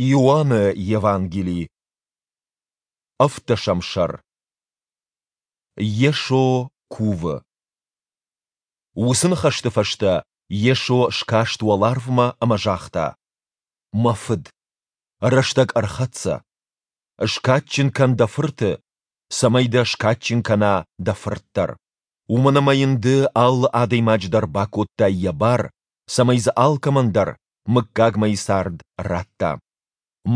Иоанны Евангели, ӕвддӕсӕм сӕр. Йесо кувы. Уыцы ныхӕсты фӕстӕ Йесо скаст уӕларвмӕ ӕмӕ загъта: Мӕ Фыд, рӕстӕг ӕрхӕццӕ. Скадджын кӕн дӕ Фырты, цӕмӕй дӕ скадджын кӕна дӕ Фырт дӕр. Уымӕн ӕмӕ йын ды алы адӕймаджы дӕр бакодтай йӕ бар, цӕмӕй дзы алкӕмӕн дӕр мыггагмӕйы цард радта.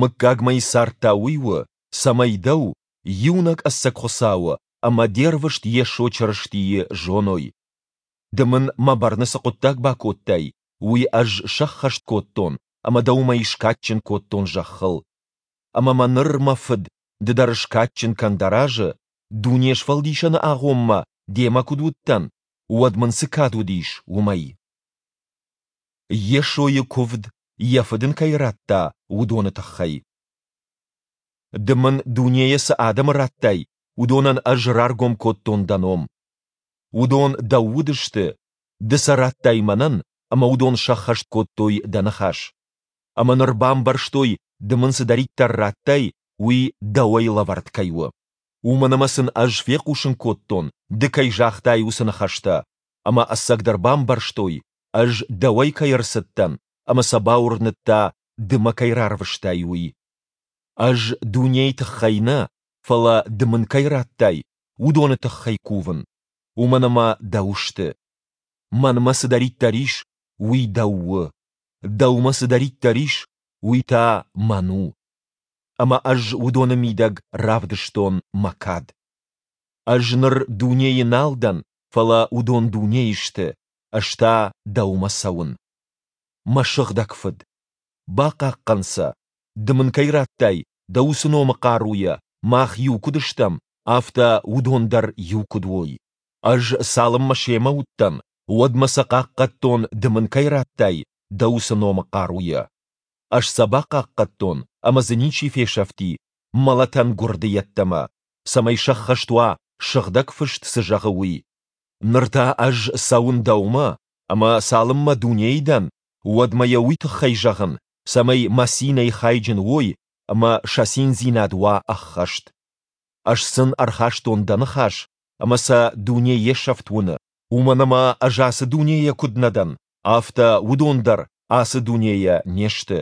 Мыггагмӕйы цард та уый у, цӕмӕй дӕу, иунӕг ӕцӕг Хуыцауы ӕмӕ де рвыст Йесо Чырыстийы зоной. Ды мын мӕ бӕрны цы хъуыддаг бакодтай, уый ӕз сӕххӕст кодтон ӕмӕ дӕ уымӕй скадджын кодтон зӕххыл. Ӕмӕ мӕ ныр, мӕ Фыд, ды дӕр скадджын кӕн дӕ разы, дуне сфӕлдисӕны агъоммӕ демӕ куыд уыдтӕн, уӕд мын цы кад уыдис, уымӕй. Йесойы куывд, йӕ Фыд ын кӕй радта, уыдоны тыххӕй. Ды мын дунейӕ цы адӕмы радтай, уыдонӕн ӕз раргом кодтон дӕ ном. Уыдон дӕу уыдысты, ды сӕ радтай мӕнӕн, ӕмӕ уыдон сӕххӕст кодтой дӕ ныхас. Ӕмӕ ныр бамбӕрстой, ды мын цыдӕриддӕр радтай, уый дӕуӕй лӕвӕрд кӕй у. Уымӕн ӕмӕ сын ӕз фехъусын кодтон, ды кӕй загътай, уыцы ныхӕстӕ, ӕмӕ ӕцӕгдӕр бамбӕрстой, ӕз дӕуӕй кӕй ӕрцыдтӕн, ӕмӕ сӕ бауырныдта, ды мӕ кӕй рарвыстай, уый. Ӕз дунейы тыххӕй нӕ, фӕлӕ ды мын кӕй радтай, уыдоны тыххӕй кувын, уымӕн ӕмӕ дӕу сты. Мӕнмӕ цыдӕриддӕр ис, уый дӕу у, дӕумӕ цыдӕриддӕр ис, уый та мӕн у. Ӕмӕ ӕз уыдоны мидӕг равдыстон мӕ кад. Ӕз ныр дунейы нал дӕн, фӕлӕ уыдон дунейы сты, ӕз та дӕумӕ цӕуын. Мӕ сыгъдӕг Фыд, бахъахъхъӕн сӕ, ды мын кӕй радтай, дӕ уыцы номы хъаруйӕ мах иу куыд стӕм, афтӕ уыдон дӕр иу куыд уой. Ӕз цалынмӕ семӕ уыдтӕн, уӕдмӕ сӕ хъахъхъӕдтон, ды мын кӕй радтай, дӕ уыцы номы хъаруйӕ. Ӕз сӕ бахъахъхъӕдтон, ӕмӕ дзы ничи фесӕфти мӕлӕтӕн гуырды йеддӕмӕ, цӕмӕй сӕххӕст уа, Сыгъдӕг Фыст цы зӕгъы, уый. Ныр та ӕз цӕуын дӕумӕ, ӕмӕ цалынмӕ дунейы дӕн, уӕдмӕ йӕ уый тыххӕй зӕгъын, цӕмӕй мӕ цинӕй хайджын уой ӕмӕ сӕ циндзинад уа ӕххӕст. Ӕз сын ӕрхастон дӕ ныхас, ӕмӕ сӕ дуне йе сӕфт уыны, уымӕн ӕмӕ ӕз ацы дунейӕ куыд нӕ дӕн, афтӕ уыдон дӕр ацы дунейӕ не сты.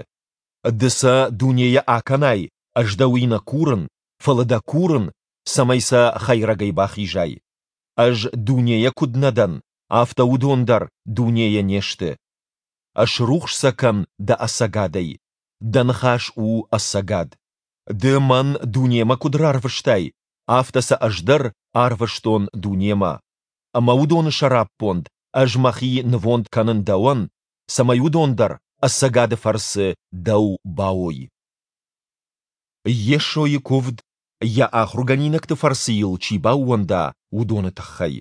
Ды сӕ дунейӕ акӕнай, ӕз дӕ уый нӕ курын, фӕлӕ дӕ курын, цӕмӕй сӕ хӕйрӕгӕй бахизай. Ӕз дунейӕ куыд нӕ дӕн, афтӕ уыдон дӕр дунейӕ не сты. Ӕсрухс сӕ кӕн дӕ ӕцӕгадӕй. Дӕ ныхас у ӕцӕгад. Ды мӕн дунемӕ куыд рарвыстай, афтӕ сӕ ӕз дӕр арвыстон дунемӕ. Ӕмӕ уыдоны сӕраппонд ӕз мӕхи нывонд кӕнын дӕуӕн, цӕмӕй уыдон дӕр ӕцӕгады фӕрцы дӕу бауой. Йесойы куывд, йӕ ахуыргӕнинӕгты фӕрцы йыл чи баууӕнда, уыдоны тыххӕй.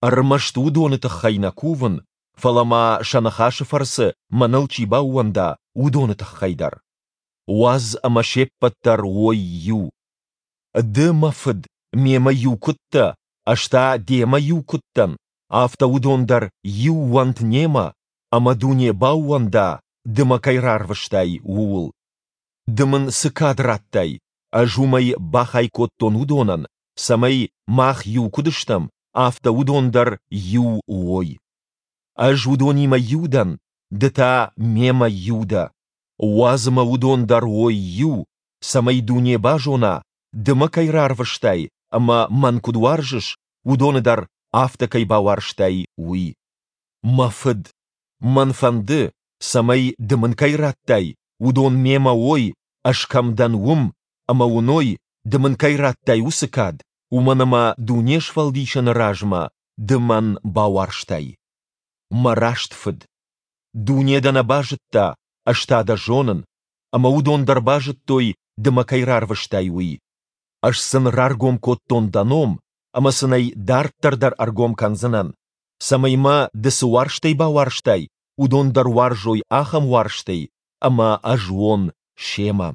Ӕрмӕст уыдоны тыххӕй нӕ кувын, фӕлӕ ма сӕ ныхасы фӕрцы мӕныл чи баууӕнда, уыдоны тыххӕй дӕр. Уадз ӕмӕ се ппӕт дӕр уой иу. Ды, мӕ Фыд, мемӕ иу куыд дӕ, ӕз та демӕ иу куыд дӕн, афтӕ уыдон дӕр иу уӕнт немӕ, ӕмӕ дуне баууӕнда, ды мӕ кӕй рарвыстай, ууыл. Ды мын цы кад радтай, ӕз уымӕй бахай кодтон уыдонӕн, цӕмӕй, мах иу куыд стӕм, афтӕ уыдон дӕр иу уой. Ӕз уыдонимӕ иу дӕн, ды та мемӕ иу дӕ. Уадз ӕмӕ уыдон дӕр уой иу, цӕмӕй дуне базона, ды мӕ кӕй рарвыстай ӕмӕ мӕн куыд уарзыс, уыдоны дӕр афтӕ кӕй бауарзтай, уый. Мӕ Фыд, мӕн фӕнды, цӕмӕй, ды мын кӕй радтай, уыдон мемӕ уой, ӕз кӕм дӕн, уым, ӕмӕ уыной, ды мын кӕй радтай, уыцы кад, уымӕн ӕмӕ дуне сфӕлдисыны размӕ ды мӕн бауарзтай. Мӕ раст Фыд, дуне дӕ нӕ базыдта, ӕз та дӕ зонын, ӕмӕ уыдон дӕр базыдтой, ды мӕ кӕй рарвыстай, уый. Ӕз сын раргом кодтон дӕ ном, ӕмӕ сын ӕй дарддӕр дӕр ӕргом кӕндзынӕн, цӕмӕй мӕ ды цы уарзтӕй бауарзтай, уыдон дӕр уарзой ахӕм уарзтӕй, ӕмӕ ӕз уон семӕ.